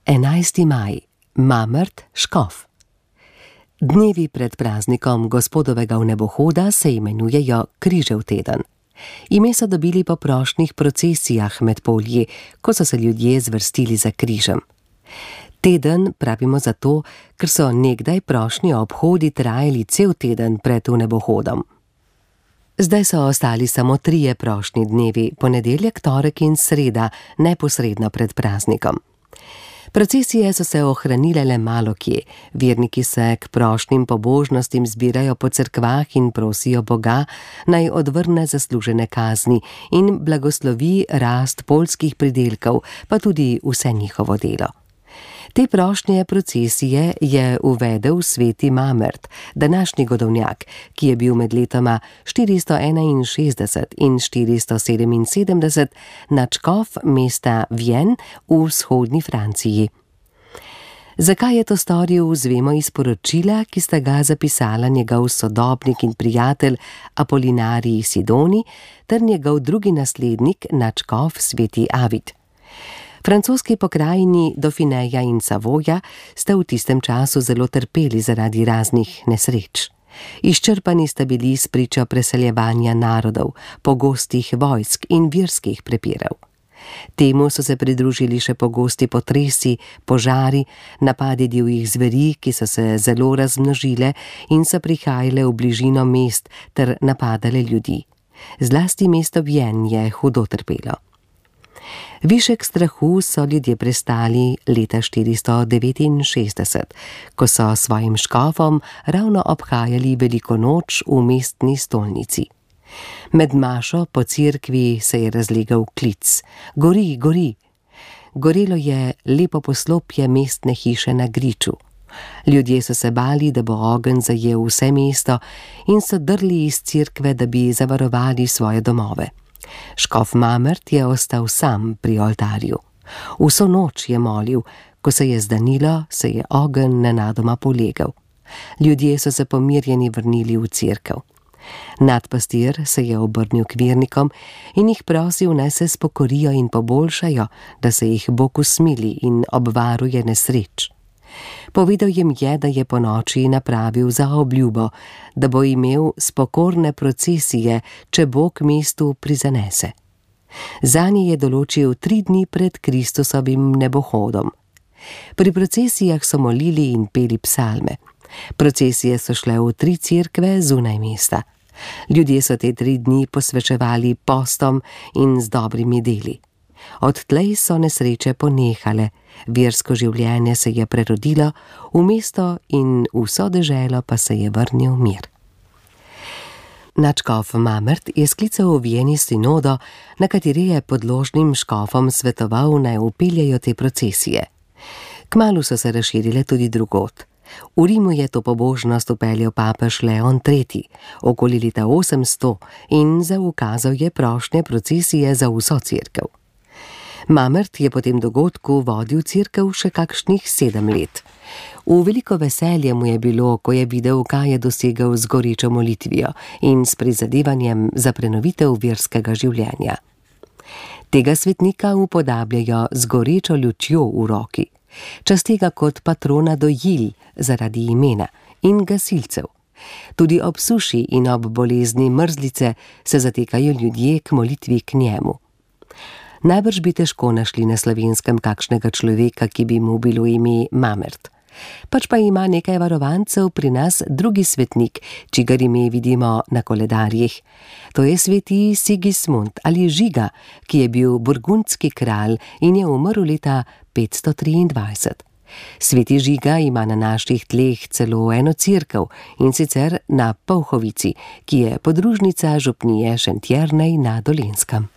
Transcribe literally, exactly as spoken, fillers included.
enajsti maj, Mamrt, Škof. Dnevi pred praznikom Gospodovega vnebohoda se imenujejo Križev teden. Ime so dobili po prošnjih procesijah med polji, ko so se ljudje zvrstili za križem. Teden pravimo zato, ker so nekdaj prošnji obhodi trajali cel teden pred vnebohodom. Zdaj so ostali samo trije prošnji dnevi, ponedeljek, torek in sreda, neposredno pred praznikom. Procesije so se ohranile le malo kje, verniki se k prošnjim pobožnostim zbirajo po cerkvah in prosijo Boga, naj odvrne zaslužene kazni in blagoslovi rast poljskih pridelkov, pa tudi vse njihovo delo. Te prošnje procesije je uvedel sveti Mamrt, današnji godovnjak, ki je bil med letoma štiristo enainšestdeset in štiristo sedeminsedemdeset nadškof mesta Vienne v vzhodni Franciji. Zakaj je to storil, zvemo iz poročila, ki sta ga zapisala njegov sodobnik in prijatelj Apolinarij Sidoni ter njegov drugi naslednik nadškof sveti Avid. Francoski pokrajini Dauphineja in Savoja sta v tistem času zelo trpeli zaradi raznih nesreč. Izčrpani sta bili s pričo preseljevanja narodov, pogostih vojsk in verskih prepirov. Temu so se pridružili še pogosti potresi, požari, napadi divjih zveri, ki so se zelo razmnožile in so prihajale v bližino mest ter napadale ljudi. Zlasti mesto Vienne je hudo trpelo. Višek strahu so ljudje prestali leta štiristo devetinšestdeset, ko so svojim škofom ravno obhajali veliko noč v mestni stolnici. Med mašo po cerkvi se je razlegal klic: Gori, gori! Gorelo je lepo poslopje mestne hiše na griču. Ljudje so se bali, da bo ogenj zajel vse mesto in so drli iz cerkve, da bi zavarovali svoje domove. Škof Mamrt je ostal sam pri oltarju. Vso noč je molil, ko se je zdanilo, se je ogenj nenadoma polegel. Ljudje so se pomirjeni vrnili v cerkev. Nadpastir se je obrnil k vernikom in jih prosil, naj se spokorijo in poboljšajo, da se jih Bog usmili in obvaruje nesreč. Povedal jim je, da je ponoči napravil za obljubo, da bo imel spokorne procesije, če Bog mestu prizanese. Zanje je določil tri dni pred Kristusovim nebohodom. Pri procesijah so molili in peli psalme. Procesije so šle v tri cerkve zunaj mesta. Ljudje so te tri dni posvečevali postom in z dobrimi deli. Odtlej so nesreče ponehale, versko življenje se je prerodilo, v mesto in vso deželo pa se je vrnil mir. Nadškof Mamrt je sklical v Vieni sinodo, na kateri je podložnim škofom svetoval, naj vpeljejo te procesije. Kmalu so se razširile tudi drugod. V Rimu je to pobožnost vpeljal papež Leon tretji, okoli leta osemsto, in zaukazal je prošnje procesije za vso cerkev. Mamrt je po tem dogodku vodil cerkev še kakšnih sedem let. V veliko veselje mu je bilo, ko je videl, kaj je dosegel z gorečo molitvijo in s prizadevanjem za prenovitev verskega življenja. Tega svetnika upodabljajo z gorečo lučjo v roki. Časti ga kot patrona dojil zaradi imena in gasilcev. Tudi ob suši in ob bolezni mrzlice se zatekajo ljudje k molitvi k njemu. Najbrž bi težko našli na Slovenskem kakšnega človeka, ki bi mu bilo ime Mamrt. Pač pa ima nekaj varovancev pri nas drugi svetnik, čigar ime vidimo na koledarjih. To je sveti Sigismund ali Žiga, ki je bil burgundski kralj in je umrl leta petsto triindvajset. Sveti Žiga ima na naših tleh celo eno cerkev, in sicer na Polhovici, ki je podružnica župnije Šentjernej na Dolenjskem.